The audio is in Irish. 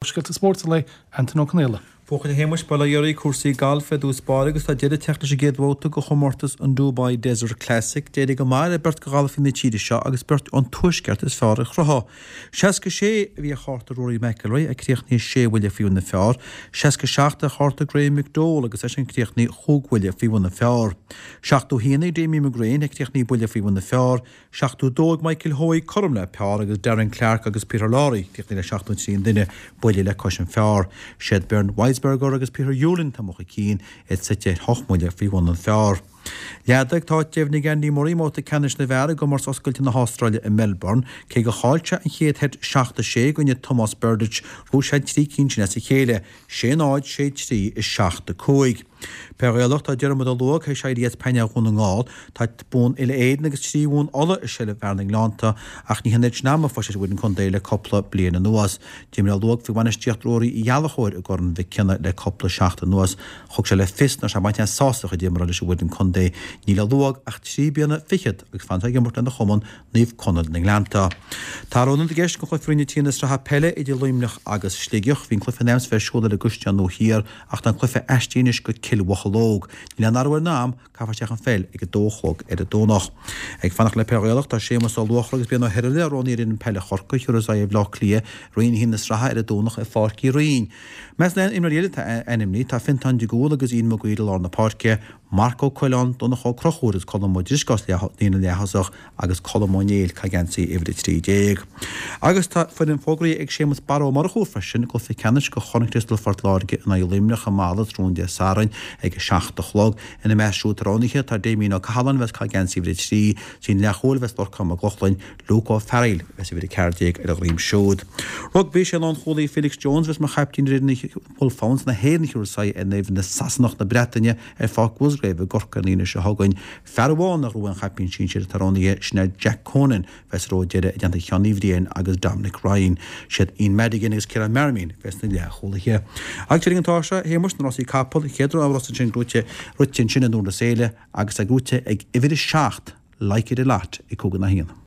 Scéalta spóirt an lae, Antain Ó Conaola. Buachaill a Shéamais, bail ó Dhia oraibh, cúrsaí gailf i dtús báire agus tá deireadh ag teacht leis an gcéad bhabhta de chomórtas an Dubai Desert Classic. D'éirigh go maith le beirt de ghalfaithe na tíre seo agus beirt ón tuaisceart is fearr a chruthú. 66 a bhí ar chárta Rory McIlroy a chríochnaigh sé bhuille faoi bhun an phar, 67 ar chárta Graham McDowell agus eisean a chríochnaigh chúig bhuille faoi bhun an phar. 71 ag Damien McGrane a chríochnaigh buille faoi bhun an phar, 72 ag Michael Hoey cothrom le par agus Darren Clarke agus Peter Lawrie críochnaithe le 73 an duine, buille le cois an phar. Siad Bernd Wiesberger agus Peter Uihlein atá amuigh chun cinn, iad suite ar hocht mbuille faoi bhun an phar. Leadaigh tá áit deimhnithe ag Andy Murray i mbabhta ceannais na bhfear i gcomórtas oscailte na hAstráile i Melbourne. Cé gur chaill sé an chéad sheit 7-6 i gcoinne Tomas Berdych, ghnóthaigh sé an 3 cinn sin as a chéile, 6 0, 6 3 is 7 5. Peil Ghaelach, Tá Diarmuid Ó Luaig théis éirí as painéal Dhún na nGall. Tá bonn uile-Éireann agus 3 bhonn Uladh i seilbh fhear na nGleannta ach ní hin oiread sin ama a fuair sé bhfoireann contae le cúpla bliain anuas. D'imir Ó Luaig faoi bhainistíocht Ruairí Uí Ghallchóir i gCorn Mhic Cionnaith le cúpla seachtain anuas. Thug sé le fios nach raibh sé ag baint aon sásamh dá chuid imeartha leis an bhfoireann contae. Níl ar Ó Luaig ach 3 bliana fichead agus fanfaidh sé ag imirt lena chumann Naomh Conaill na nGleannta. Tá athrú ionaid i gceist do chluiche Roinn 3 na sraithe peile idir Luimneach agus Sligeach. Bhí an cluiche in ainm is a bheith ar siúl ar an gCaisleán Nua Thiar ach tá an cluiche aistrithe anois go Cill Mhocheallóg. Níl aon athrú ar an am, caithfear isteach an pheil ag a dó a chlog ar an Domhnach. Ag fanacht le peil Ghaelach, tá Séamus Ó Luachra agus Brian Ó hIrghile roghnaithe ar fhoireann peile Chorcaí a thiúrfas aghaidh ar Bhleá Cliath i Roinn 1 na sraithe ar an Domhnach i Pháirc Uí Rinn. Measc na n-imreoirí eile atá ainmnithe, tá Fiontán de Gúl agus Ian Maguire i lár na páirce, Marc Ó Coileáin, Donncha Ó Conchúir agus Colm Ó Drisceoil sa líne leath-thosach agus Colm Ó Néill ag caitheamh geansaí uimhir 13. Agus tá foireann fógraithe ag Séamus Barra Ó Murchú freisin i gcluiche ceannais de Chorn Chriostal Phort Láirge in aghaidh Luimneach i Mala tráthnóna Dé Sathairn ag 7 a chlog. Ina measc siúd atá roghnaithe tá Damien Ó Cathaláin a bheas ag caitheamh geansaí uimhir 3, sa líne leathchúil a bheas Lorcán Mac Lochlainn, Luke Ó Fearghail a bheas uimhir 14 ar a dhroim siúd. Rugbaí, Sé lánchúlaí Felix Jones a bheas mar chaiptín ar fhoireann Wolfhounds na hÉireann a thiúrfas aghaidh ar fhoireann na Sasanach na Breataine ar Pháirc Mhusgrave i gCorcaigh an Aoine seo chugainn. Fear amháin nach raibh aon chaiptín sinsir atá roghnaithe, sin é Jack Conan, a bheas sa ró deiridh i dteannta Sheáin Uí Bhriain agus Dominic Ryan. Siad Ian Madigan agus Ciarán Marmion a bheas sna leathchúlaithe. Agus tar éis an tráth seo, a Shéamuis, na rásaí capall, an chéad rás ansin gnóite, rite ansin i nDún na Séile agus é gnóite ag uimhir a 7, Like It A Lot, ag 5 in aghaidh a haon.